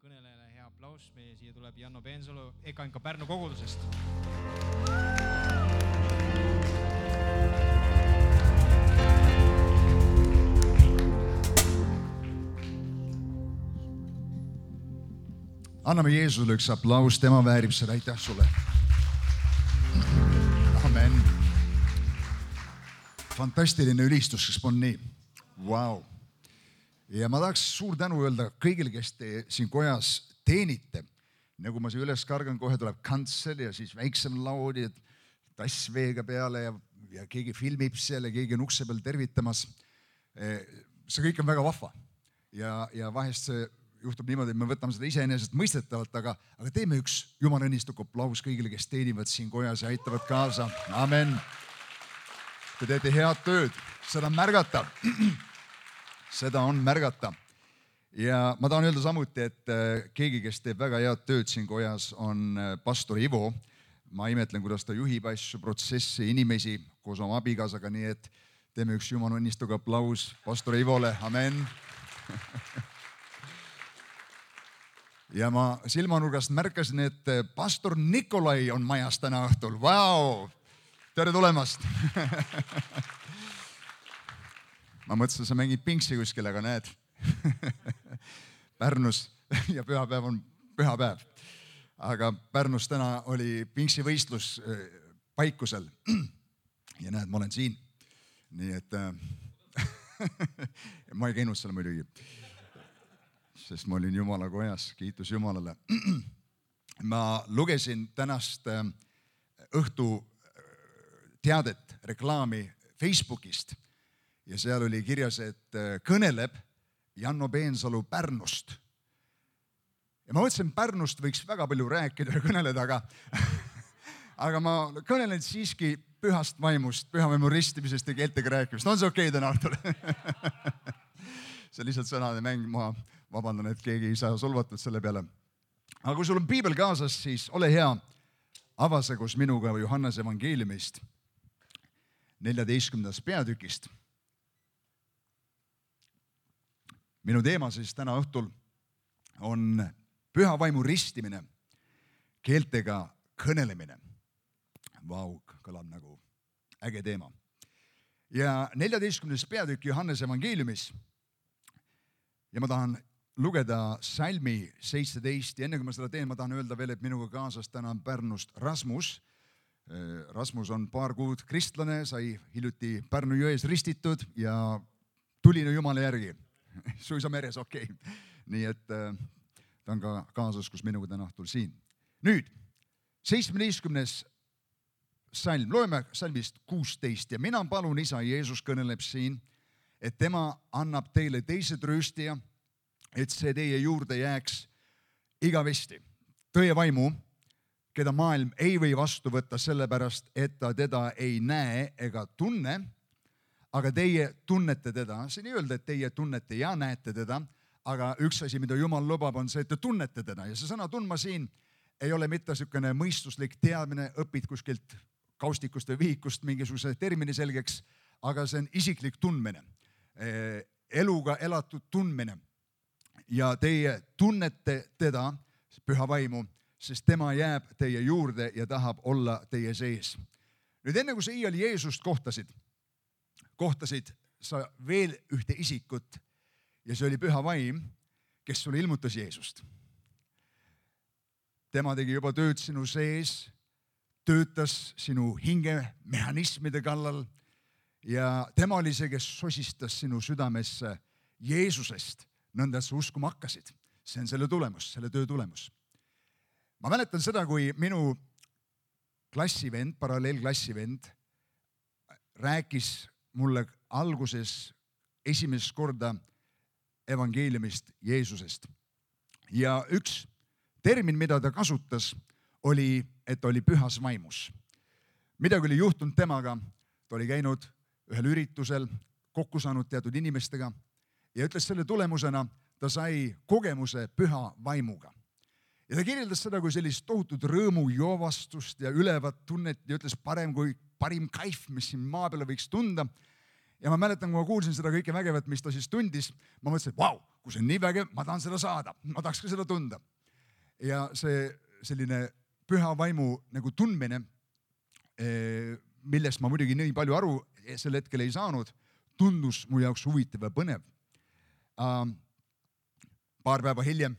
kõnelejale hea aplaus. Meie siia tuleb Janno Peensalu EKNK Pärnu kogudusest. Anname Jeesusele üks aplaus, tema väärib seda, aitäh sulle. Amen. Fantastiline ülistus, kes on nii. Wow. Ja ma tahaks suur tänu öelda kõigile, kes te siin kojas teenite. Nagu ma siin üles kargan, kohe tuleb kantsel ja siis väiksem laud ja tass veega peale ja keegi filmib seal ja keegi on ukse peal tervitamas. See kõik on väga vahva. Ja vahest see juhtub niimoodi, et me võtame seda iseenesest mõistetavalt, aga teeme üks Jumala õnnistuk aplaus kõigile, kes teenivad siin kojas ja aitavad kaasa. Amen. Te teete head tööd. Seda on märgata. Seda on märgata. Ja ma tahan öelda samuti, et keegi, kes teeb väga head tööd siin kojas, on pastor Ivo. Ma imetlen, kuidas ta juhib asju, protsessi, inimesi koos oma abikaasaga, nii et teeme üks Jumala õnnistuk aplaus pastor Ivole. Amen. Ja ma silmanurgast märkasin, et pastor Nikolai on majas täna õhtul. Vau! Tere tulemast! Ma mõtlesin, sa mängid pingsi kuskil, aga näed. Pärnus ja pühapäev on pühapäev. Aga Pärnus täna oli pingsivõistlus Paikusel. Ja näed, ma olen siin. Nii et ma ei käinud seal muidugi. Sest ma olin Jumala kojas, kiitus Jumalale. Ma lugesin tänast õhtu teadet, reklaami Facebookist ja seal oli kirjas, et kõneleb Janno Peensalu Pärnust. Ja ma mõtlesin, Pärnust võiks väga palju rääkida ja kõneleda, aga ma kõnelen siiski pühast vaimust, püha vaimu ristimisest ja keeltega rääkimist. On see okei täna õhtul? See lihtsalt sõnade mäng, ma vabandan, et keegi ei saa solvatud selle peale. Aga kui sul on piibel kaasas, siis ole hea, avase koos minuga Johannese evangeeliumist 14. peatükist. Minu teema siis täna õhtul on püha vaimu ristimine, keeltega kõnelemine. Vau, kõlab nagu äge teema. Ja 14. peatükk Johannese evangeeliumis ja ma tahan lugeda salmi 17 ja enne kui ma seda teen, ma tahan öelda veel, et minuga kaasas täna Pärnust Rasmus. Rasmus on paar kuud kristlane, sai hiljuti Pärnu jões ristitud ja tuline Jumala järgi. Suisa meres, okei. Nii et ta on ka kaasas, kus minuga täna õhtul siin. Nüüd, 17. salm, loeme salmist 16 ja mina palun isa, Jeesus kõneleb siin, et tema annab teile teise trööstija, et see teie juurde jääks igavesti. Tõe vaimu, keda maailm ei või vastu võtta sellepärast, et ta teda ei näe ega tunne, aga teie tunnete teda. Siin ei öelda, et teie tunnete ja näete teda, aga üks asi, mida Jumal lubab, on see, et te tunnete teda. Ja see sõna tundma siin ei ole mitte niisugune mõistuslik teadmine, õpid kuskilt kaustikust või vihikust mingisuguse termini selgeks, aga see on isiklik tundmine. Eluga elatud tundmine ja teie tunnete teda, püha vaimu, sest tema jääb teie juurde ja tahab olla teie sees. Nüüd enne kui sa iial Jeesust kohtasid sa veel ühte isikut ja see oli püha vaim, kes sulle ilmutas Jeesust. Tema tegi juba tööd sinu sees, töötas sinu hinge mehhanismide kallal ja tema oli see, kes sosistas sinu südamesse Jeesusest, nõnda et sa uskuma hakkasid. See on selle tulemus, selle töö tulemus. Ma mäletan seda, kui minu klassivend, paralleelklassivend, rääkis mulle alguses esimest korda evangeeliumist Jeesusest. Ja üks termin, mida ta kasutas, oli, et ta oli pühas vaimus. Midagi oli juhtunud temaga, ta oli käinud ühel üritusel, kokku saanud teatud inimestega ja ütles selle tulemusena, ta sai kogemuse püha vaimuga. Ja ta kirjeldas seda kui sellist tohutut rõõmu joovastust ja ülevat tunnet ja ütles parim kaif, mis siin maa peale võiks tunda. ja ma mäletan, kui ma kuulsin seda kõike vägevat, mis ta siis tundis, ma mõtlesin, et vau, kui see on nii vägev, ma tahan seda saada, ma tahaks ka seda tunda. Ja see selline püha vaimu nagu tundmine, millest ma muidugi nii palju aru sel hetkel ei saanud, tundus mu jaoks huvitav ja põnev. Paar päeva hiljem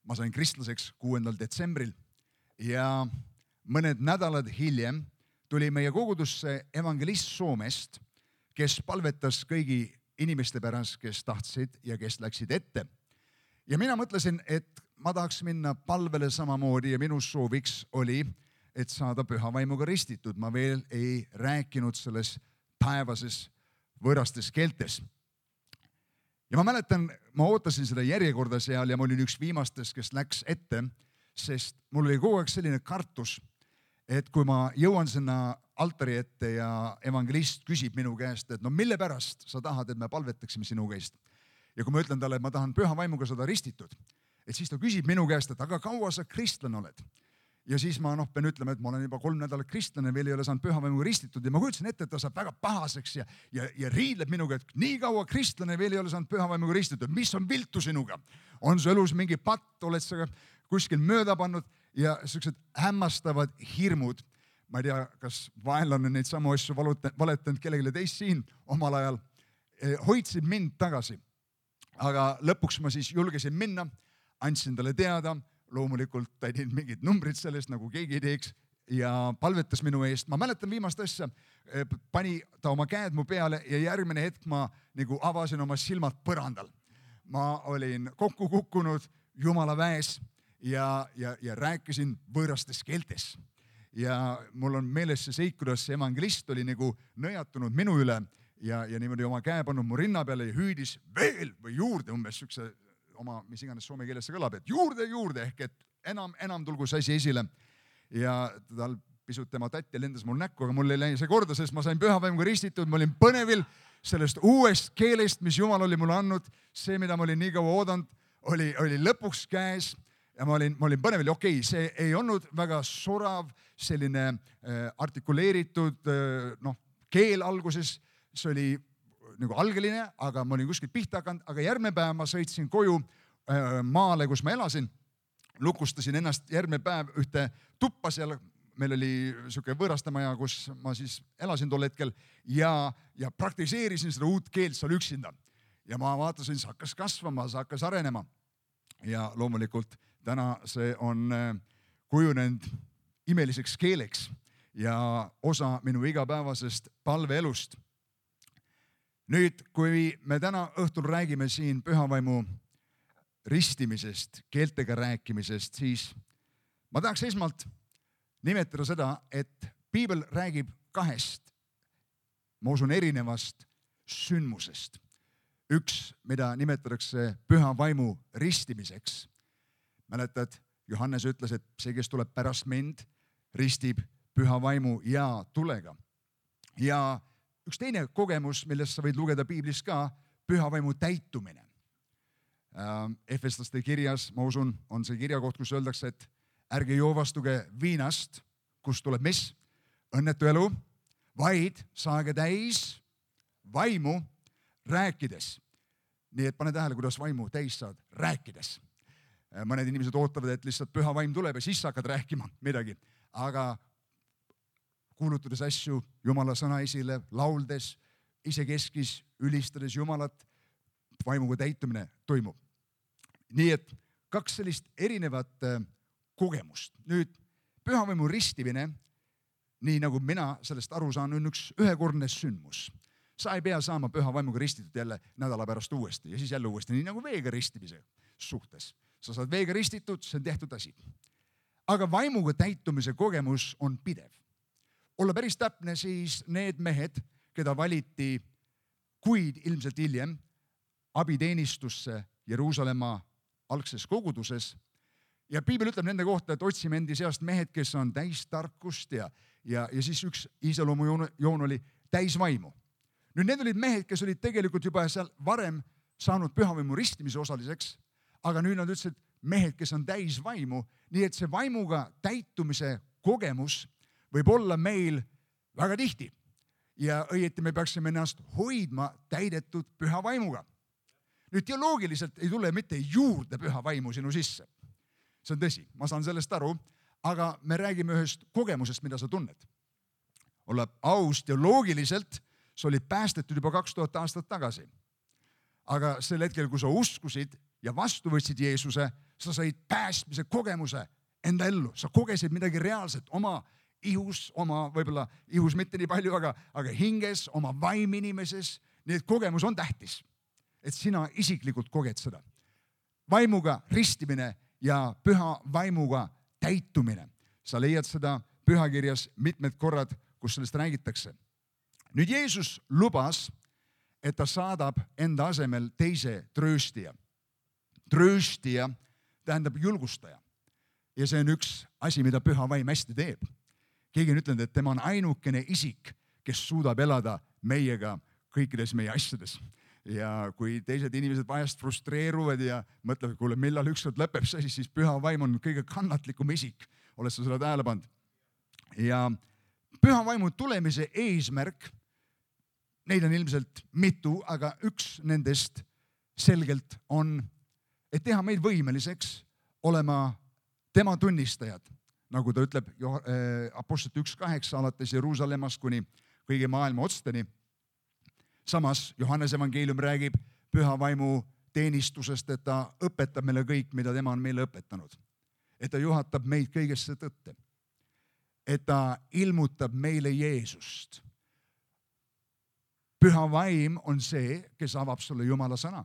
ma sain kristlaseks 6. detsembril ja mõned nädalad hiljem tuli meie kogudusse evangelist Soomest, kes palvetas kõigi inimeste pärast, kes tahtsid ja kes läksid ette. Ja mina mõtlesin, et ma tahaks minna palvele samamoodi ja minu sooviks oli, et saada püha vaimuga ristitud. Ma veel ei rääkinud selles päevases võõrastes keeltes. Ja ma mäletan, ma ootasin seda järjekorda seal ja ma olin üks viimastest, kes läks ette, sest mul oli kogu aeg selline kartus, et kui ma jõuan sinna altari ette ja evangelist küsib minu käest, et no mille pärast sa tahad, et me palvetaksime sinu käest. Ja kui ma ütlen talle, et ma tahan püha vaimuga saada ristitud, et siis ta küsib minu käest, et aga kaua sa kristlane oled? Ja siis ma pean ütlema, et ma olen juba 3 nädalat kristlane, veel ei ole saanud püha vaimuga ristitud ja ma kujutasin ette, et ta saab väga pahaseks ja riidleb minuga, et nii kaua kristlane veel ei ole saanud püha vaimuga ristitud. Mis on viltu sinuga? On su elus mingi patt, oled sa kuskil mööda pannud ja sellised hämmastavad hirmud. Ma ei tea, kas vaenlane neid samu asju valetanud kellelegi teist siin omal ajal, hoidsid mind tagasi. Aga lõpuks ma siis julgesin minna, andsin talle teada, loomulikult ta ei teinud mingid numbrid sellest, nagu keegi ei teeks ja palvetas minu eest. Ma mäletan viimast asja, pani ta oma käed mu peale ja järgmine hetk ma nagu avasin oma silmad põrandal. Ma olin kokku kukkunud Jumala väes ja rääkisin võõrastes keeltes. Ja mul on meeles see seik, kuidas see evangelist oli nagu nõjatunud minu üle ja niimoodi oma käe pannud mu rinna peale ja hüüdis veel või juurde umbes sükse oma, mis iganes soome keeles see kõlab, et juurde ehk et enam tulgu see asi esile. Ja tal pisut tema tatti lendas mul näkku, aga mul ei läinud see korda, sest ma sain püha vaimuga ristitud, ma olin põnevil sellest uuest keelest, mis Jumal oli mulle andnud. See, mida ma olin nii kaua oodanud, oli lõpuks käes ja ma olin põnevil. Okei, see ei olnud väga sorav, selline artikuleeritud keel alguses, see oli nagu algeline, aga ma olin kuskilt pihta hakanud, aga järgmine päev ma sõitsin koju maale, kus ma elasin, lukustasin ennast järgmine päev ühte tuppa seal, meil oli siuke võõrastamaja, kus ma siis elasin tol hetkel ja praktiseerisin seda uut keelt seal üksinda. Ja ma vaatasin, see hakkas kasvama, see hakkas arenema ja loomulikult täna see on kujunenud imeliseks keeleks ja osa minu igapäevasest palveelust. Nüüd, kui me täna õhtul räägime siin pühavaimu ristimisest, keeltega rääkimisest, siis ma tahaks esmalt nimetada seda, et piibel räägib 2, ma usun, erinevast sündmusest. Üks, mida nimetatakse pühavaimu ristimiseks. Mäletad, Johannes ütles, et see, kes tuleb pärast mind, ristib pühavaimu ja tulega. Ja üks teine kogemus, millest sa võid lugeda piiblis ka, pühavaimu täitumine. Efeslaste kirjas, ma usun, on see kirjakoht, kus öeldakse, et ärge joovastuge viinast, kust tuleb mis? Õnnetu elu, vaid saage täis vaimu rääkides. Nii et pane tähele, kuidas vaimu täis saad rääkides. Mõned inimesed ootavad, et lihtsalt püha vaim tuleb ja siis hakkad rääkima midagi, aga kuulutades asju Jumala sõna esile, lauldes, isekeskis, ülistades Jumalat, vaimuga täitumine toimub. Nii et 2 sellist erinevat kogemust. Nüüd, pühavaimu ristimine, nii nagu mina sellest aru saan, on üks ühekordne sündmus. Sa ei pea saama püha vaimuga ristitud jälle nädala pärast uuesti ja siis jälle uuesti, nii nagu veega ristimise suhtes. Sa saad veega ristitud, see on tehtud asi. Aga vaimuga täitumise kogemus on pidev. Olla päris täpne, siis need mehed, keda valiti kuid ilmselt hiljem abiteenistusse Jeruusalemma algses koguduses ja piibel ütleb nende kohta, et otsime endi seast mehed, kes on täis tarkust ja siis üks iseloomujoon oli täis vaimu. Nüüd need olid mehed, kes olid tegelikult juba seal varem saanud pühavaimu ristimise osaliseks, aga nüüd nad ütlesid mehed, kes on täis vaimu, nii et see vaimuga täitumise kogemus võib olla meil väga tihti. ja õieti me peaksime ennast hoidma täidetud püha vaimuga. Nüüd teoloogiliselt ei tule mitte juurde püha vaimu sinu sisse. See on tõsi, ma saan sellest aru, aga me räägime ühest kogemusest, mida sa tunned. Olla aus, teoloogiliselt sa olid päästetud juba 2000 aastat tagasi. Aga sel hetkel, kui sa uskusid ja vastu võtsid Jeesuse, sa said päästmise kogemuse enda ellu. Sa kogesid midagi reaalset oma ihus, oma võib-olla ihus mitte nii palju, aga hinges, oma vaim inimeses. Nii et kogemus on tähtis, et sina isiklikult koged seda. Vaimuga ristimine ja püha vaimuga täitumine. Sa leiad seda pühakirjas mitmed korrad, kus sellest räägitakse. Nüüd Jeesus lubas, et ta saadab enda asemel teise trööstija. Trööstija tähendab julgustaja. Ja see on üks asi, mida püha vaim hästi teeb. Keegi on ütlenud, et tema on ainukene isik, kes suudab elada meiega kõikides meie asjades. Ja kui teised inimesed vahest frustreeruvad ja mõtlevad, kuule, millal ükskord lõpeb see, siis püha vaim on kõige kannatlikum isik. Oled sa seda tähele pannud? Ja püha vaimu tulemise eesmärk, neid on ilmselt mitu, aga üks nendest selgelt on, et teha meid võimeliseks olema tema tunnistajad. Nagu ta ütleb Apostlite 1.8 alates Jeruusalemmast kuni kõigi maailma otsteni. Samas Johannes evangeelium räägib püha vaimu teenistusest, et ta õpetab meile kõik, mida tema on meile õpetanud. Et ta juhatab meid kõigesse tõtte. Et ta ilmutab meile Jeesust. Püha vaim on see, kes avab sulle Jumala sõna.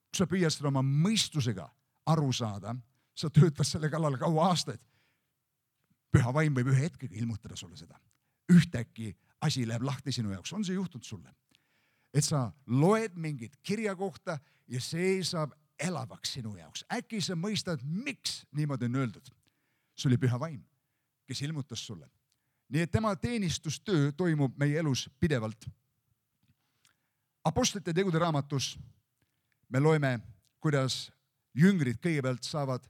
Kui sa püüad seda oma mõistusega aru saada, sa töötad selle kallal kaua aastaid. Püha vaim võib ühe hetkega ilmutada sulle seda. Ühtäkki asi läheb lahti sinu jaoks. On see juhtunud sulle? Et sa loed mingit kirja kohta ja see saab elavaks sinu jaoks. Äkki sa mõistad, miks niimoodi on öeldud. See oli püha vaim, kes ilmutas sulle. Nii et tema teenistustöö toimub meie elus pidevalt. Apostlite tegude raamatus me loeme, kuidas jüngrid kõigepealt saavad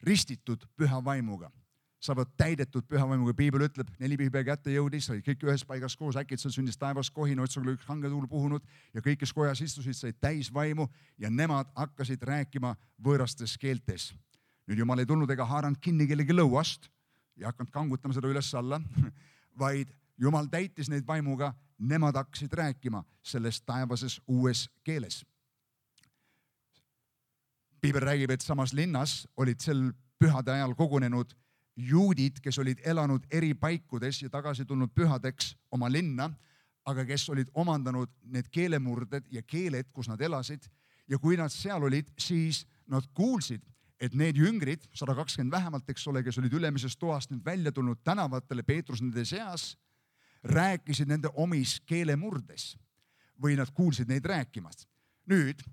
ristitud püha vaimuga. Saavad täidetud püha vaimuga. Piibel ütleb, 4 pühipea kätte jõudis, olid kõik ühes paigas koos, äkitselt sündis taevas kohin, otsal oli üks hangetuul puhunud ja kõik, kes kojas istusid, said täis vaimu ja nemad hakkasid rääkima võõrastes keeltes. Nüüd Jumal ei tulnud ega haaranud kinni kellegi lõuast ja hakanud kangutama seda üles alla, vaid Jumal täitis neid vaimuga, nemad hakkasid rääkima selles taevases uues keeles. Piibel räägib, et samas linnas olid sel pühade ajal kogunenud juudid, kes olid elanud eri paikudes ja tagasi tulnud pühadeks oma linna, aga kes olid omandanud need keelemurded ja keeled, kus nad elasid. Ja kui nad seal olid, siis nad kuulsid, et need jüngrid, 120 vähemalt, eks ole, kes olid ülemisest toast nüüd välja tulnud tänavatele, Peetrus nende seas, rääkisid nende omis keelemurdes või nad kuulsid neid rääkimas. Nüüd,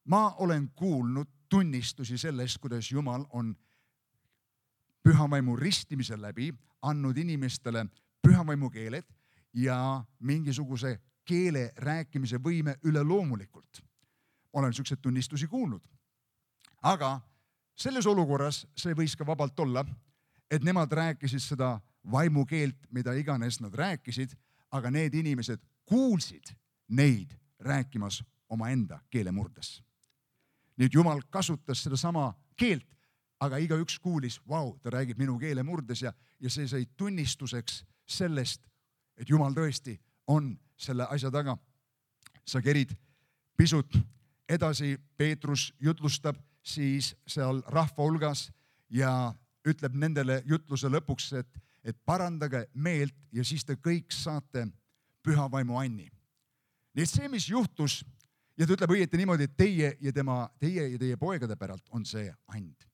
ma olen kuulnud tunnistusi sellest, kuidas Jumal on pühavaimu ristimise läbi andnud inimestele pühavaimu keeled ja mingisuguse keele rääkimise võime üleloomulikult. Olen niisuguseid tunnistusi kuulnud. Aga selles olukorras see võis ka vabalt olla, et nemad rääkisid seda vaimu keelt, mida iganes nad rääkisid, aga need inimesed kuulsid neid rääkimas omaenda keelemurdes. Nüüd Jumal kasutas seda sama keelt, aga igaüks kuulis, ta räägib minu keelemurdes ja see sai tunnistuseks sellest, et Jumal tõesti on selle asja taga. Sa kerid pisut edasi, Peetrus jutlustab siis seal rahva hulgas ja ütleb nendele jutluse lõpuks, et parandage meelt ja siis te kõik saate püha vaimu anni. Nii et see, mis juhtus, ja ta ütleb õieti niimoodi, et teie ja teie poegade päralt on see and.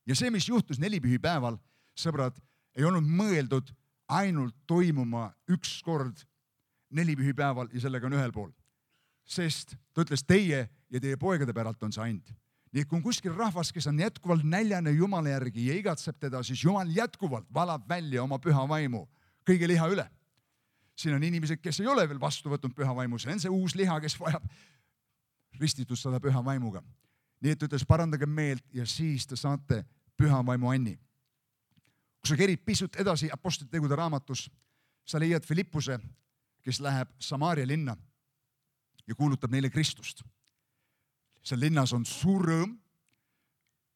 Ja see, mis juhtus 4 pühipäeval, sõbrad, ei olnud mõeldud ainult toimuma üks kord 4 pühipäeval ja sellega on ühel pool. Sest ta ütles, teie ja teie poegade päralt on see and. Nii et kui on kuskil rahvas, kes on jätkuvalt näljane Jumala järgi ja igatseb teda, siis Jumal jätkuvalt valab välja oma püha vaimu kõige liha üle. Siin on inimesed, kes ei ole veel vastu võtnud püha vaimu, see on see uus liha, kes vajab ristitust seda püha vaimuga. Nii et ütles, parandage meelt ja siis te saate püha vaimu anni. Kui sa kerid pisut edasi Apostlite tegude raamatus, sa leiad Filippuse kes läheb Samaaria linna ja kuulutab neile Kristust. Seal linnas on suur rõõm,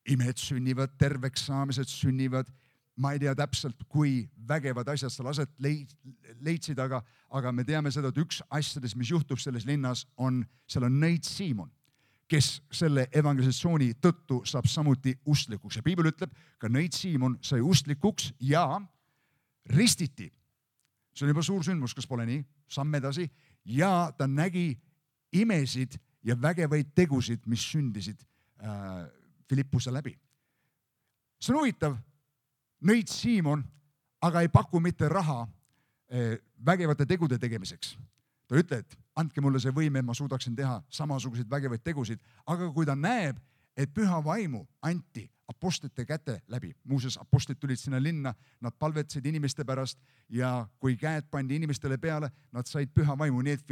imed sünnivad, terveks saamised sünnivad. Ma ei tea täpselt, kui vägevad asjad seal aset leidsid, aga me teame seda, et üks asjadest, mis juhtub selles linnas, seal on nõid Siimon, kes selle evangelisatsiooni tõttu saab samuti usklikuks. Ja piibel ütleb, ka nõid Siimon sai usklikuks ja ristiti. See on juba suur sündmus, kas pole nii? Samm edasi. Ja ta nägi imesid ja vägevaid tegusid, mis sündisid Filippuse läbi. See on huvitav, nõid Siimon, aga ei paku mitte raha vägevate tegude tegemiseks. Ta ütleb, et andke mulle see võime, ma suudaksin teha samasuguseid vägevaid tegusid, aga kui ta näeb, et püha vaimu anti apostlite käte läbi. Muuseas, apostlid tulid sinna linna, nad palvetasid inimeste pärast ja kui käed pandi inimestele peale, nad said püha vaimu. Nii et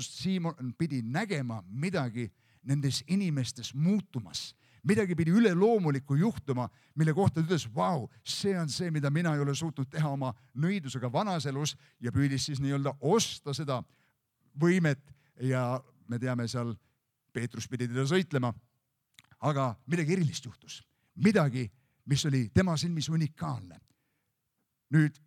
Siimon pidi nägema midagi nendes inimestes muutumas. Midagi pidi üleloomulikku juhtuma, mille kohta ütles, vau, see on see, mida mina ei ole suutnud teha oma nõidusega vanas elus ja püüdis siis nii-öelda osta seda võimet ja me teame seal, Peetrus pidi teda sõitlema. Aga midagi erilist juhtus. Midagi, mis oli tema silmis unikaalne. Nüüd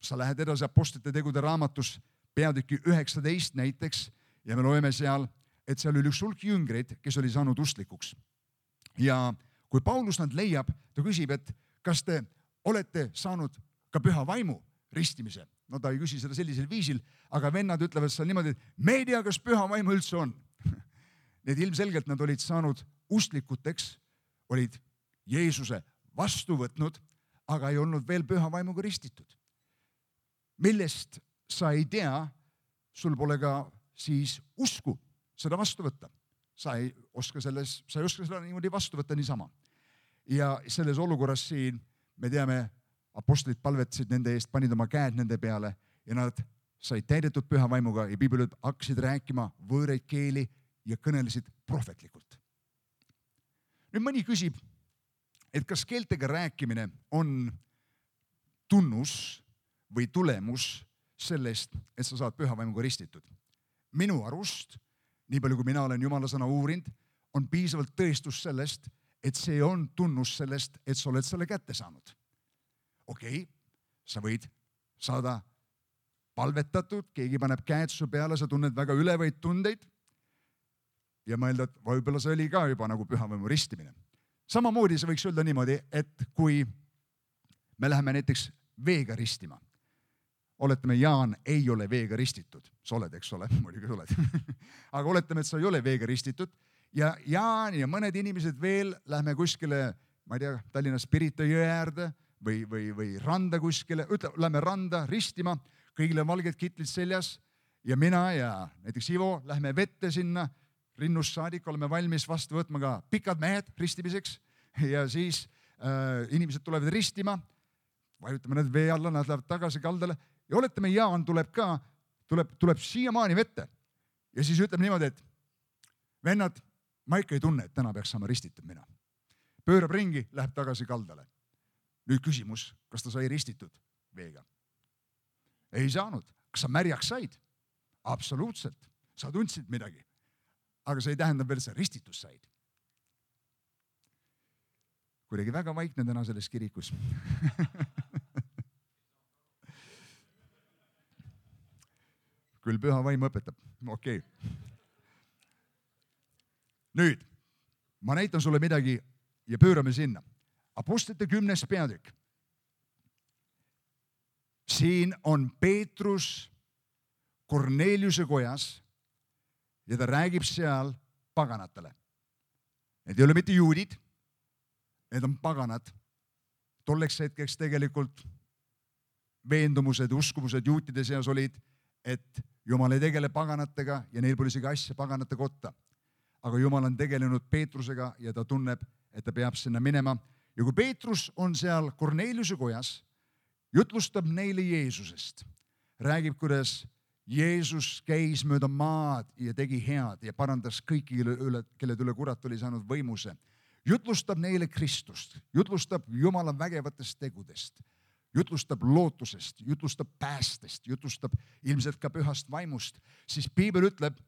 sa lähed edasi apostlite tegude raamatus peatüki 19 näiteks ja me loeme seal, et seal oli üks hulk jüngreid, kes oli saanud usklikuks. Ja kui Paulus nad leiab, ta küsib, et kas te olete saanud ka püha vaimu ristimise? No ta ei küsi seda sellisel viisil, aga vennad ütlevad seal niimoodi, et me ei tea, kas püha vaimu üldse on. Need ilmselgelt nad olid saanud usklikuteks, olid Jeesuse vastu võtnud, aga ei olnud veel püha vaimuga ristitud. Millest sa ei tea, sul pole ka siis usku seda vastu võtta. Sa ei oska seda niimoodi vastu võtta niisama. Ja selles olukorras siin, me teame, apostlid palvetasid nende eest, panid oma käed nende peale ja nad said täidetud püha vaimuga ja piibelid hakkasid rääkima võõraid keeli ja kõnelesid prohvetlikult. Nüüd mõni küsib, et kas keeltega rääkimine on tunnus või tulemus sellest, et sa saad püha vaimuga ristitud. Minu arust, nii palju kui mina olen Jumala sõna uurinud, on piisavalt tõestus sellest, et see on tunnus sellest, et sa oled selle kätte saanud. Okei, sa võid saada palvetatud, keegi paneb käed su peale, sa tunned väga ülevaid tundeid ja mõelda, et võib-olla see oli ka juba nagu püha vaimu ristimine. Samamoodi see võiks öelda niimoodi, et kui me läheme näiteks veega ristima, oletame, Jaan ei ole veega ristitud, sa oled, eks ole, muidugi sa oled, aga oletame, et sa ei ole veega ristitud ja Jaan ja mõned inimesed veel lähme kuskile, ma ei tea, Tallinnas Pirita jõe äärde või randa kuskile, lähme randa ristima, kõigile valged kitlid seljas ja mina ja näiteks Ivo lähme vette sinna, rinnust saadik oleme valmis vastu võtma ka pikad mehed ristimiseks ja siis inimesed tulevad ristima, vajutame need vee alla, nad lähevad tagasi kaldale ja oletame, Jaan tuleb siiamaani vette ja siis ütleb niimoodi, et vennad, ma ikka ei tunne, et täna peaks saama ristitud mina. Pöörab ringi, läheb tagasi kaldale. Nüüd küsimus, kas ta sai ristitud veega? Ei saanud. Kas sa märjaks said? Absoluutselt. Sa tundsid midagi. Aga see ei tähenda veel, sa ristitus said. Kuidagi väga vaikne täna selles kirikus. Küll püha vaim õpetab. Okei. Nüüd, ma näitan sulle midagi ja pöörame sinna. Apostlite 10. peatükk. Siin on Peetrus Korneliuse kojas ja ta räägib seal paganatele. Need ei ole mitte juudid, need on paganad. Tolleks hetkeks tegelikult veendumused, uskumused juutide seas olid, et Jumal ei tegele paganatega ja neil pole isegi asja paganate kotta. Aga Jumal on tegelenud Peetrusega ja ta tunneb, et ta peab sinna minema. Ja kui Peetrus on seal Korneliuse kojas, jutlustab neile Jeesusest. Räägib, kuidas Jeesus käis mööda maad ja tegi head ja parandas kõiki, kelle üle kurat oli saanud võimuse. Jutlustab neile Kristust, jutlustab Jumala vägevatest tegudest. jutlustab lootusest, jutlustab päästest, jutlustab ilmselt ka pühast vaimust, siis piibel ütleb,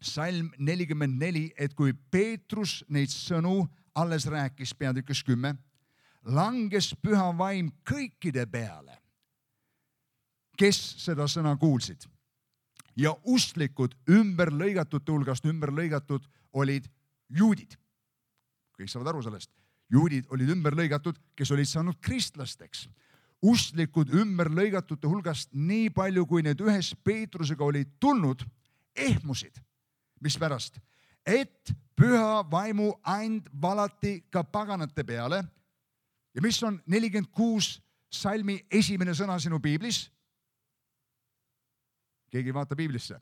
salm 44, et kui Peetrus neid sõnu alles rääkis peatükis 10, langes püha vaim kõikide peale, kes seda sõna kuulsid. Ja usklikud ümberlõigatute hulgast ümberlõigatud olid juudid. Kõik saavad aru sellest. Juudid olid ümberlõigatud, kes olid saanud kristlasteks. Usklikud ümberlõigatute hulgast nii palju, kui need ühes Peetrusega olid tulnud, ehmusid. Mispärast? Et püha vaimu and valati ka paganate peale. Ja mis on 46 salmi esimene sõna sinu piiblis? Keegi ei vaata piiblisse.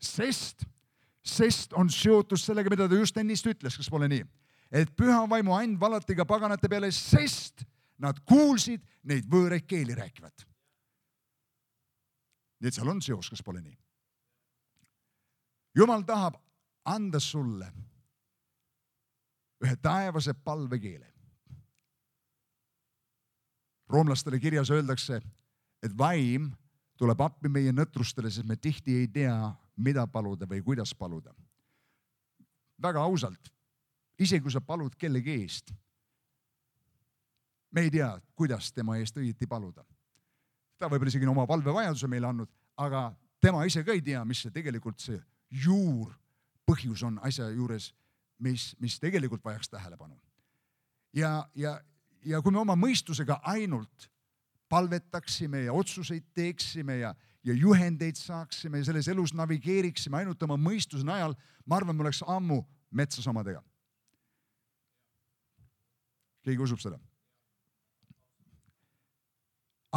Sest on seotud sellega, mida ta just ennist ütles, kas pole nii? Et püha vaimu and valati ka paganate peale, sest nad kuulsid neid võõraid keeli rääkivat. Nii et seal on seos, kas pole nii? Jumal tahab anda sulle ühe taevase palvekeele. Roomlastele kirjas öeldakse, et vaim tuleb appi meie nõtrustele, sest me tihti ei tea, mida paluda või kuidas paluda. Väga ausalt, isegi kui sa palud kellegi eest, me ei tea, kuidas tema eest õieti paluda. Ta võib isegi oma palvevajaduse meile andnud, aga tema ise ka ei tea, mis see tegelikult see juur põhjus on asja juures, mis tegelikult vajaks tähelepanu. Ja kui me oma mõistusega ainult palvetaksime ja otsuseid teeksime ja juhendeid saaksime ja selles elus navigeeriksime ainult oma mõistuse najal, ma arvan, me oleks ammu metsas omadega. Keegi usub seda?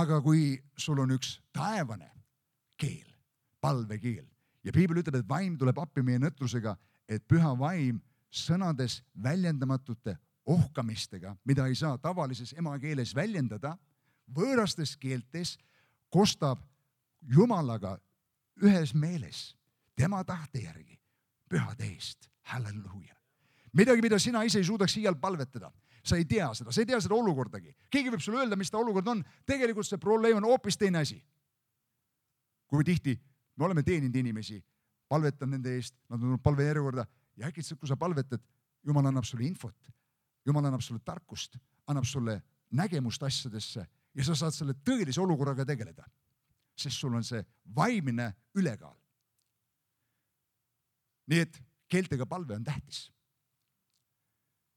Aga kui sul on üks taevane keel, palvekeel, ja piibel ütleb, et vaim tuleb appi meie nõtrusega, et püha vaim sõnades väljendamatute ohkamistega, mida ei saa tavalises emakeeles väljendada, võõrastes keeltes kostab Jumalaga ühes meeles, tema tahte järgi, pühade eest, halleluuja. Midagi, mida sina ise ei suudaks iial palvetada. Sa ei tea seda olukordagi. Keegi võib sulle öelda, mis ta olukord on. Tegelikult see probleem on hoopis teine asi. Kui tihti me oleme teeninud inimesi, palvetanud nende eest, nad on tulnud palvejärjekorda ja äkitselt, kui sa palvetad, Jumal annab sulle infot, Jumal annab sulle tarkust, annab sulle nägemust asjadesse ja sa saad selle tõelise olukorraga tegeleda, sest sul on see vaimne ülekaal. Nii et keeltega palve on tähtis.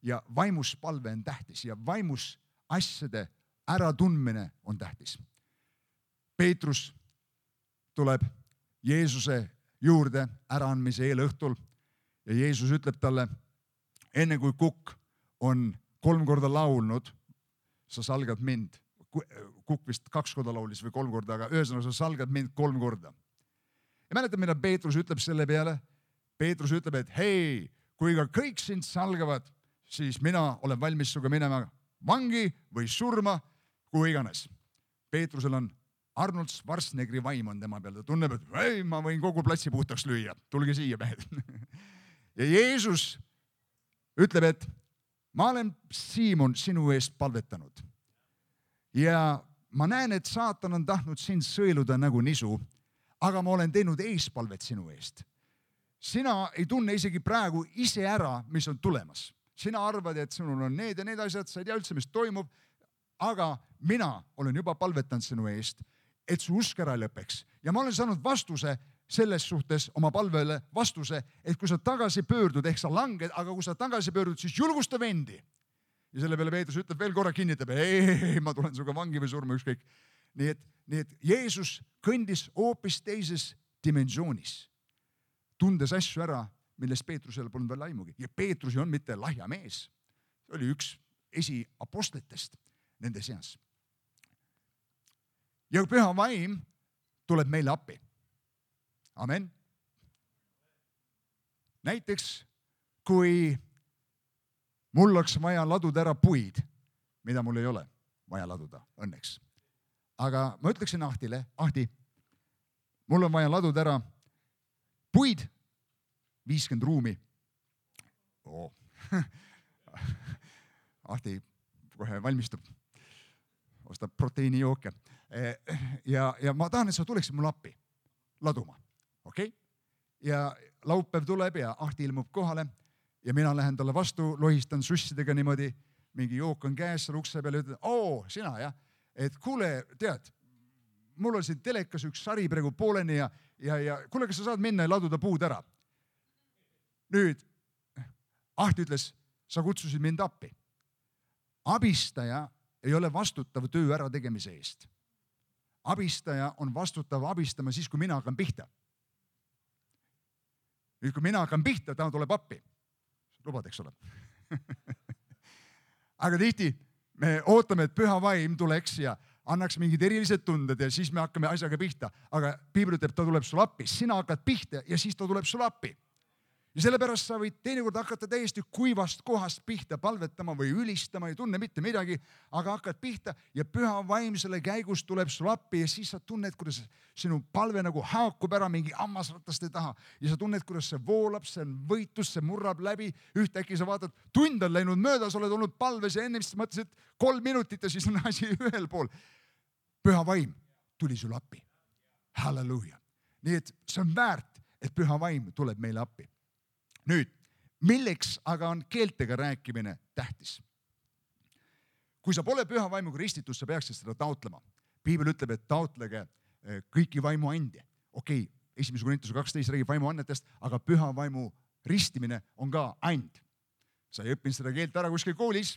Ja vaimus palve on tähtis ja vaimus asjade äratundmine on tähtis. Peetrus tuleb Jeesuse juurde äraandmise eelõhtul ja Jeesus ütleb talle, enne kui kukk on 3 korda laulnud, sa salgad mind. Kukk vist 2 korda laulis või 3 korda, aga ühesõnaga sa salgad mind 3 korda. Ja mäletad, mida Peetrus ütleb selle peale? Peetrus ütleb, et hei, kui ka kõik sind salgavad, siis mina olen valmis suga minema vangi või surma, kui iganes. Peetrusel on Arnold Schwarzeneggeri vaim on tema peal. Ta tunneb, et ei, ma võin kogu platsi puhtaks lüüa. Tulge siia, mehed. Ja Jeesus ütleb, et ma olen, Siimon, sinu eest palvetanud. Ja ma näen, et saatan on tahtnud sind sõeluda nagu nisu, aga ma olen teinud eespalvet sinu eest. Sina ei tunne isegi praegu ise ära, mis on tulemas. Sina arvad, et sinul on need ja need asjad, sa ei tea üldse, mis toimub, aga mina olen juba palvetanud sinu eest, et su usk ära lõpeks. Ja ma olen saanud vastuse selles suhtes, oma palvele vastuse, et kui sa tagasi pöördud, ehk sa langed, aga kui sa tagasi pöördud, siis julgusta vendi. Ja selle peale Peetrus ütleb veel korra, kinnitab, ei, ma tulen suga vangi või surma, ükskõik. Nii et Jeesus kõndis hoopis teises dimensioonis, tundes asju ära, millest Peetrusel polnud veel aimugi. Ja Peetrus ei on mitte lahja mees. See oli üks esiapostlitest nende seas. Ja püha vaim tuleb meile appi. Amen. Näiteks, kui mul oleks vaja laduda ära puid, mida mul ei ole vaja laduda, õnneks. Aga ma ütleksin Ahtile, Ahti, mul on vaja laduda ära puid, 50 ruumi. Ahti kohe valmistub. ostab proteiinijooke. Ja ma tahan, et sa tuleksid mulle appi laduma, okei? Ja laupäev tuleb ja Ahti ilmub kohale ja mina lähen talle vastu, lohistan sussidega niimoodi, mingi jook on käes seal ukse peal ja ütlen, sina jah, et kuule, tead, mul on siin telekas üks sari praegu pooleni ja kuule, kas sa saad minna ja laduda puud ära? Nüüd, Ahti ütles, sa kutsusid mind appi. Abistaja ei ole vastutav töö ära tegemise eest. Abistaja on vastutav abistama siis, kui mina hakkan pihta. Nüüd, kui mina hakkan pihta, ta tuleb appi. Lubad, eks ole. Aga tihti me ootame, et püha vaim tuleks ja annaks mingid erilised tunded ja siis me hakkame asjaga pihta. Aga piibel ütleb, ta tuleb sul appi. Sina hakkad pihta ja siis ta tuleb sul appi. Ja sellepärast sa võid teinekord hakata täiesti kuivast kohast pihta palvetama või ülistama, ei tunne mitte midagi, aga hakkad pihta ja püha vaim selle käigus tuleb sul appi ja siis sa tunned, kuidas sinu palve nagu haakub ära mingi hammasrataste taha ja sa tunned, kuidas see voolab, see on võitlus, see murrab läbi, ühtäkki sa vaatad, tund on läinud mööda, sa oled olnud palves ja ennem siis mõtlesid 3 minutit ja siis on asi ühel pool. Püha vaim tuli sul appi. Halleluuja. Nii et see on väärt, et püha vaim tuleb meile appi. Nüüd, milleks aga on keeltega rääkimine tähtis? Kui sa pole püha vaimuga ristitud, sa peaksid seda taotlema. Piibel ütleb, et taotlege kõiki vaimu andi. Okei, 1. Korintuse 12 räägib vaimu annetest, aga püha vaimu ristimine on ka and. Sa ei õppinud seda keelt ära kuskil koolis,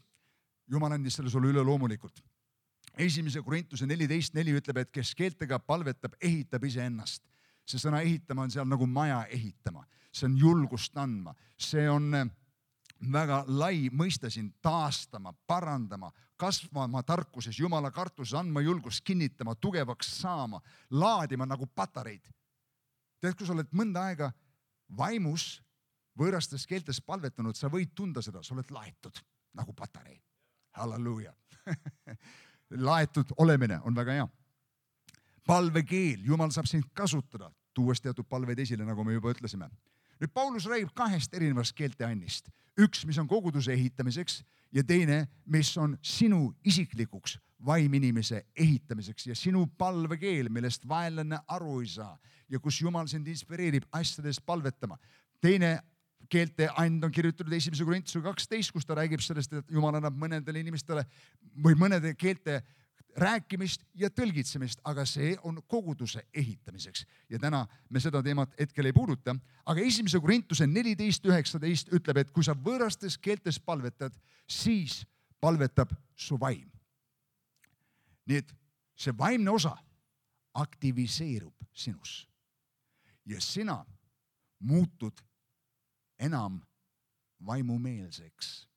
Jumal andis selle sulle üle loomulikult. 1. Korintuse 14.4 ütleb, et kes keeltega palvetab, ehitab iseennast. See sõna ehitama on seal nagu maja ehitama. See on julgust andma. See on väga lai mõista siin taastama, parandama, kasvama tarkuses, Jumala kartuses, andma julgust, kinnitama, tugevaks saama, laadima nagu patareid. Tead, kui sa oled mõnda aega vaimus võõrastes keeltes palvetanud, sa võid tunda seda, sa oled laetud nagu patarei. Halleluuja. Laetud olemine on väga hea. Palvekeel, Jumal saab sind kasutada, tuues teatud palveid esile, nagu me juba ütlesime. Nüüd Paulus räägib 2 erinevast keelteannist. Üks, mis on koguduse ehitamiseks ja teine, mis on sinu isiklikuks vaiminimese ehitamiseks ja sinu palvekeel, millest vaenlane aru ei saa ja kus Jumal sind inspireerib asjades palvetama. Teine keelteand on kirjutatud 1. Korintuse 12, kus ta räägib sellest, et Jumal annab mõnedele inimestele või mõnede keelte rääkimist ja tõlgitsemist, aga see on koguduse ehitamiseks. Ja täna me seda teemat hetkel ei puuduta, aga 1. Korintuse 14.19 ütleb, et kui sa võõrastes keeltes palvetad, siis palvetab su vaim. Nii et see vaimne osa aktiviseerub sinus ja sina muutud enam vaimumeelseks.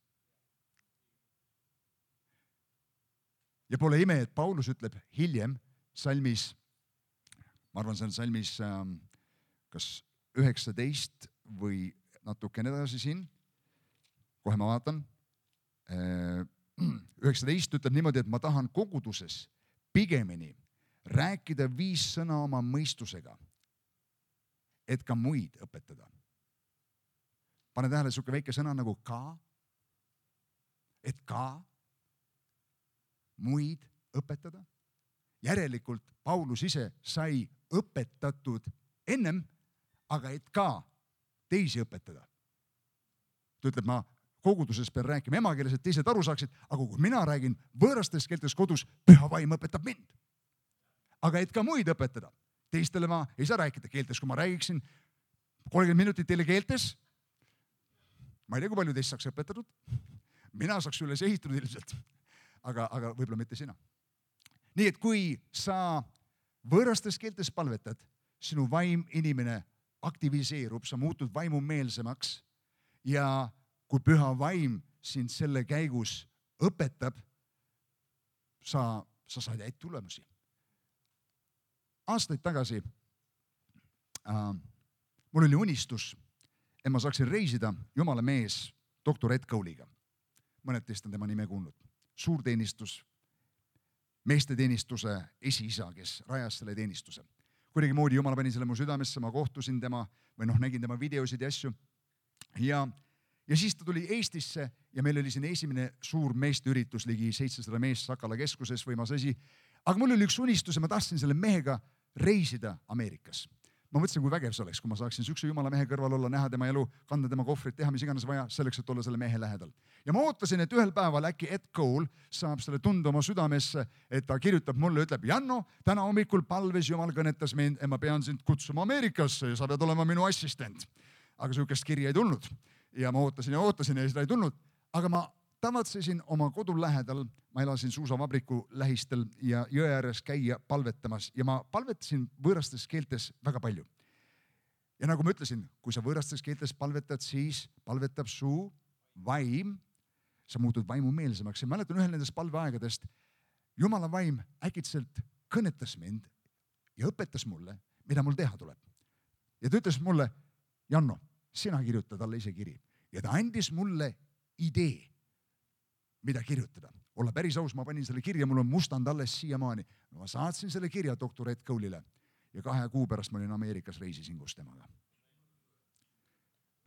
Ja pole ime, et Paulus ütleb hiljem salmis, ma arvan, see on salmis kas 19 või natukene edasi siin, kohe ma vaatan, 19 ütleb niimoodi, et ma tahan koguduses pigemini rääkida 5 sõna oma mõistusega, et ka muid õpetada. Pane tähele suke väike sõna nagu ka, et ka muid õpetada. Järelikult Paulus ise sai õpetatud ennem, aga et ka teisi õpetada. Ta ütleb, ma koguduses pean rääkima emakeeles, et teised aru saaksid, aga kui mina räägin võõrastes keeltes kodus, püha vaim õpetab mind. Aga et ka muid õpetada. Teistele ma ei saa rääkida keeltes, kui ma räägiksin 30 minutit teile keeltes. Ma ei tea, kui palju teist saaks õpetatud. Mina saaks üles ehitatud ilmselt. Aga võib-olla mitte sina. Nii et kui sa võõrastes keeltes palvetad, sinu vaim inimene aktiviseerub, sa muutud vaimumeelsemaks ja kui püha vaim sind selle käigus õpetab, sa saad häid tulemusi. Aastaid tagasi mul oli unistus, et ma saaksin reisida Jumala mees doktor Ed Cowley'ga. Mõned teist on tema nime kuulnud. Suurteenistus, meesteteenistuse esiisa, kes rajas selle teenistuse. Kuidagi moodi Jumal pani selle mu südamesse, ma kohtusin tema või nägin tema videosid ja asju. Ja ja siis ta tuli Eestisse ja meil oli siin esimene suur meesteüritus, ligi 700 meest Sakala keskuses, võimas asi. Aga mul oli üks unistus ja ma tahtsin selle mehega reisida Ameerikas. Ma mõtlesin, kui vägev see oleks, kui ma saaksin sükse jumala mehe kõrval olla, näha tema elu, kanda tema kohvrit, teha mis iganes vaja selleks, et olla selle mehe lähedal. Ja ma ootasin, et ühel päeval äkki Ed Cole saab selle tunde oma südamesse, et ta kirjutab mulle, ütleb, Janno, täna hommikul palves Jumal kõnetas mind, et ma pean sind kutsuma Ameerikasse ja sa pead olema minu assistent. Aga sihukest kirja ei tulnud. Ja ma ootasin ja seda ei tulnud. Aga ma tavatsesin oma kodu lähedal, ma elasin suusavabriku lähistel ja jõe ääres käia palvetamas ja ma palvetasin võõrastes keeltes väga palju. Ja nagu ma ütlesin, kui sa võõrastes keeltes palvetad, siis palvetab su vaim, sa muutud vaimumeelsemaks. Ja mäletan ühel nendest palveaegadest, Jumala vaim äkitselt kõnetas mind ja õpetas mulle, mida mul teha tuleb. Ja ta ütles mulle, Janno, sina kirjuta talle ise kiri. Ja ta andis mulle idee, mida kirjutada. Olla päris aus, ma panin selle kirja, mul on mustand alles siiamaani. Ma saatsin selle kirja doktor Ed Cole'ile ja 2 kuu pärast ma olin Ameerikas, reisisin koos temaga.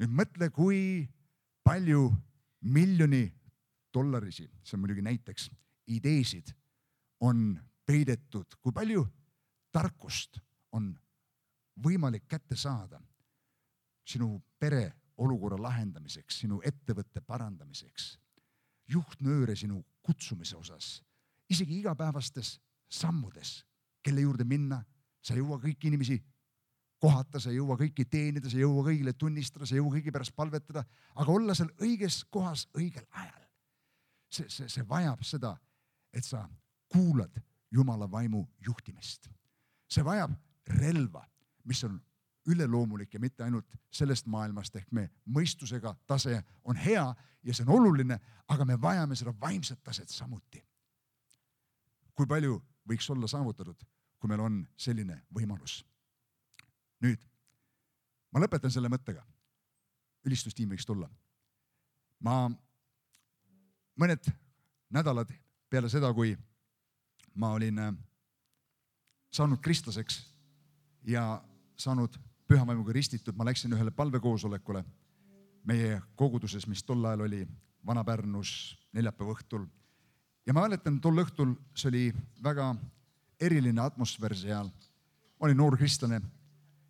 Nüüd mõtle, kui palju $1 000 000, see on muidugi näiteks, ideesid on peidetud, kui palju tarkust on võimalik kätte saada sinu pere olukorra lahendamiseks, sinu ettevõtte parandamiseks, juhtnööre sinu kutsumise osas, isegi igapäevastes sammudes, kelle juurde minna, sa ei jõua kõiki inimesi kohata, sa ei jõua kõiki teenida, sa ei jõua kõigile tunnistada, sa ei jõua kõigi pärast palvetada, aga olla seal õiges kohas õigel ajal. See vajab seda, et sa kuulad Jumala vaimu juhtimist. See vajab relva, mis on üleloomulik ja mitte ainult sellest maailmast, ehk me mõistusega tase on hea ja see on oluline, aga me vajame seda vaimset taset samuti. Kui palju võiks olla saavutatud, kui meil on selline võimalus? Nüüd, ma lõpetan selle mõttega. Ülistustiim võiks tulla. Ma mõned nädalad peale seda, kui ma olin saanud kristlaseks ja saanud pühavaimuga ristitud, ma läksin ühele palvekoosolekule meie koguduses, mis tol ajal oli Vana-Pärnus neljapäeva õhtul. Ja ma mäletan, tol õhtul see oli väga eriline atmosfäär seal. Ma olin noor kristlane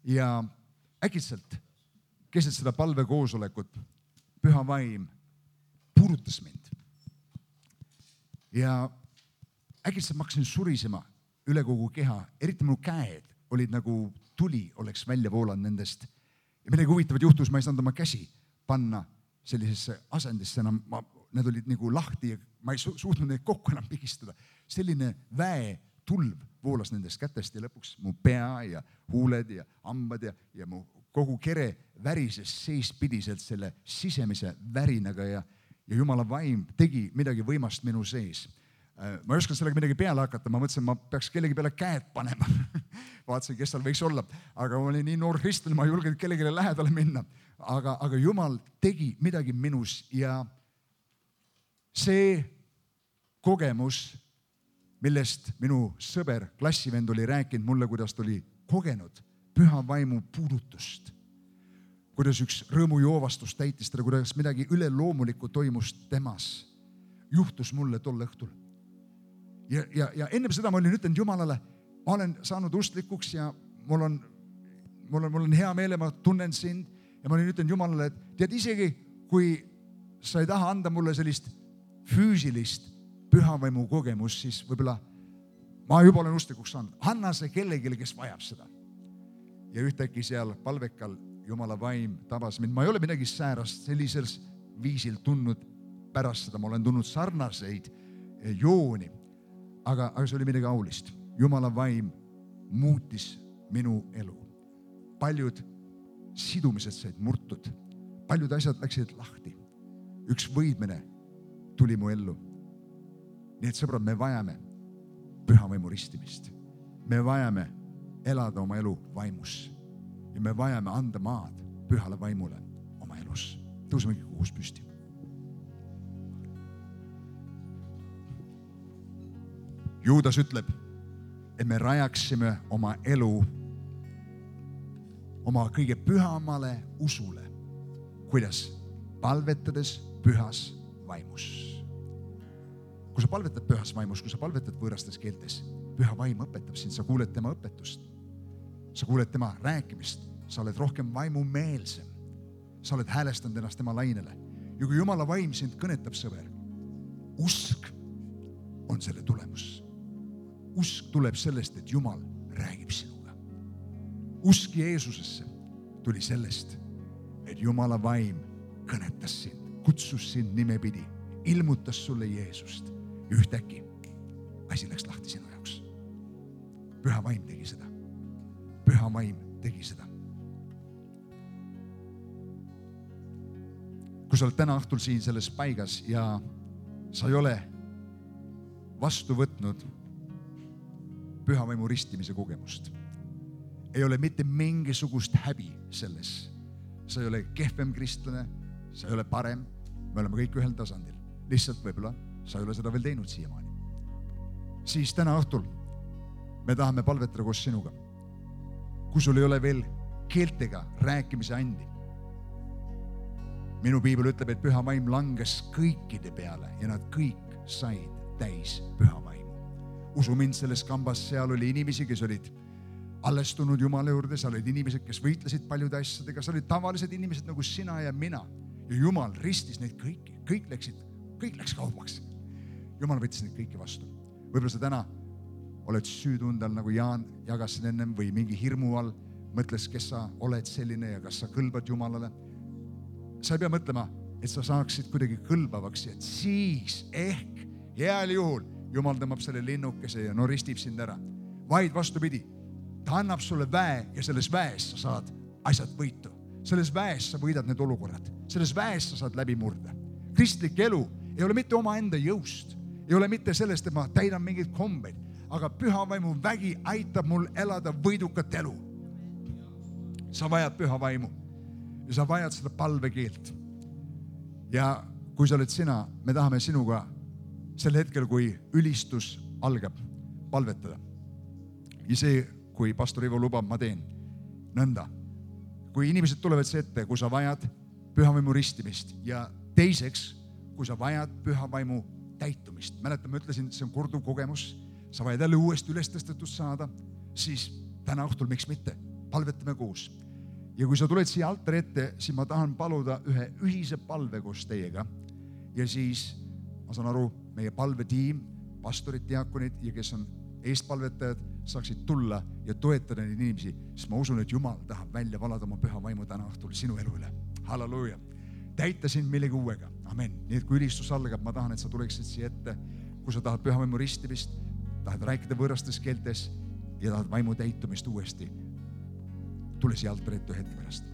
ja äkitselt keset seda palvekoosolekut püha vaim puudutas mind. Ja äkitselt ma hakkasin surisema üle kogu keha, eriti mu käed olid nagu tuli oleks välja voolanud nendest. Ja midagi huvitavat juhtus, ma ei saanud oma käsi panna sellisesse asendisse enam, need olid nagu lahti ja ma ei suutnud neid kokku enam pigistada. Selline väetulv voolas nendest kätest ja lõpuks mu pea ja huuled ja hambad ja mu kogu kere värises seespidiselt selle sisemise värinaga ja Jumala vaim tegi midagi võimast minu sees. Ma ei osanud sellega midagi peale hakata, ma mõtlesin, ma peaks kellegi peale käed panema. Vaatasin, kes seal võiks olla, aga ma olin nii noor kristlane, ma ei julgenud kellegile lähedale minna. Aga Jumal tegi midagi minus ja see kogemus, millest minu sõber, klassivend oli rääkinud mulle, kuidas ta oli kogenud püha vaimu puudutust, kuidas üks rõõmujoovastus täitis teda, kuidas midagi üleloomulikku toimus temas, juhtus mulle tol õhtul. Ja enne seda ma olin ütlenud Jumalale, ma olen saanud usklikuks ja mul on hea meel ja ma tunnen sind ja ma olin ütlenud Jumalale, et tead isegi, kui sa ei taha anda mulle sellist füüsilist pühavaimu kogemust, siis võib-olla ma juba olen usklikuks saanud. Anna see kellegile, kes vajab seda. Ja ühtäkki seal palvekal Jumala vaim tabas mind. Ma ei ole midagi säärast sellisel viisil tundnud pärast seda. Ma olen tundnud sarnaseid jooni. Aga see oli midagi aulist. Jumala vaim muutis minu elu. Paljud sidumised said murtud. Paljud asjad läksid lahti. Üks võidmine tuli mu ellu. Nii et sõbrad, me vajame püha vaimu ristimist. Me vajame elada oma elu vaimus. Ja me vajame anda maad pühale vaimule oma elus. Tõusemegi kuus püsti. Juudas ütleb, et me rajaksime oma elu oma kõige pühamale usule. Kuidas? palvetades pühas vaimus. Kui sa palvetad pühas vaimus, kui sa palvetad võõrastes keeltes, püha vaim õpetab sind, sa kuuled tema õpetust. Sa kuuled tema rääkimist, sa oled rohkem vaimumeelsem. Sa oled häälestanud ennast tema lainele. Ja kui Jumala vaim sind kõnetab, sõber, usk on selle tulemus. Usk tuleb sellest, et Jumal räägib sinuga. Usk Jeesusesse tuli sellest, et Jumala vaim kõnetas sind, kutsus sind nimepidi, ilmutas sulle Jeesust. Ja ühtäkki asi läks lahti sinu jaoks. Püha vaim tegi seda. Püha vaim tegi seda. Kui sa oled täna õhtul siin selles paigas ja sa ei ole vastu võtnud püha vaimu ristimise kogemust, ei ole mitte mingisugust häbi selles. Sa ei ole kehvem kristlane, sa ei ole parem, me oleme kõik ühel tasandil. Lihtsalt võib-olla sa ei ole seda veel teinud siiamaani. Siis täna õhtul me tahame palvetada koos sinuga. Kui sul ei ole veel keeltega rääkimise andi. Minu piibel ütleb, et püha vaim langes kõikide peale ja nad kõik said täis püha vaimu. Usu mind, selles kambas seal oli inimesi, kes olid allestunud Jumala juurde, seal olid inimesed, kes võitlesid paljude asjadega, seal olid tavalised inimesed nagu sina ja mina. Ja Jumal ristis neid kõiki, kõik läks kaubaks. Jumal võttis neid kõiki vastu. Võib-olla sa täna oled süütundal, nagu Jaan jagas ennem, või mingi hirmu all, mõtles, kes sa oled selline ja kas sa kõlbad Jumalale. Sa ei pea mõtlema, et sa saaksid kuidagi kõlbavaks, et siis ehk heal juhul Jumal tõmbab selle linnukese ja ristib sind ära. Vaid vastupidi, ta annab sulle väe ja selles väes sa saad asjad võitu. Selles väes sa võidad need olukorrad. Selles väes sa saad läbi murda. Kristlik elu ei ole mitte oma enda jõust. Ei ole mitte sellest, et ma täidan mingeid kombeid, aga püha vaimu vägi aitab mul elada võidukat elu. Sa vajad püha vaimu ja sa vajad seda palvekeelt. Ja kui sa oled sina, me tahame sinuga sel hetkel, kui ülistus algab, palvetada. Ja see, kui pastor Ivo lubab, ma teen nõnda. Kui inimesed tulevad see ette, kui sa vajad püha vaimu ristimist ja teiseks, kui sa vajad püha vaimu täitumist. Mäletan, ma ütlesin, et see on korduv kogemus. Sa vajad jälle uuesti ülestõstetust saada, siis täna õhtul, miks mitte, palvetame koos. Ja kui sa tuled siia altari ette, siis ma tahan paluda ühe ühise palve koos teiega. Ja siis, ma saan aru, meie palvetiim, pastorid, diakonid ja kes on eestpalvetajad, saaksid tulla ja toetada neid inimesi, sest ma usun, et Jumal tahab välja valada oma püha vaimu täna õhtul sinu elu üle. Halleluuja. Täita sind millegi uuega. Amen. Nii et kui ülistus algab, ma tahan, et sa tuleksid siia ette, kui sa tahad püha vaimu ristimist, tahad rääkida võõrastes keeltes ja tahad vaimu täitumist uuesti. Tule siia altari ette hetke pärast.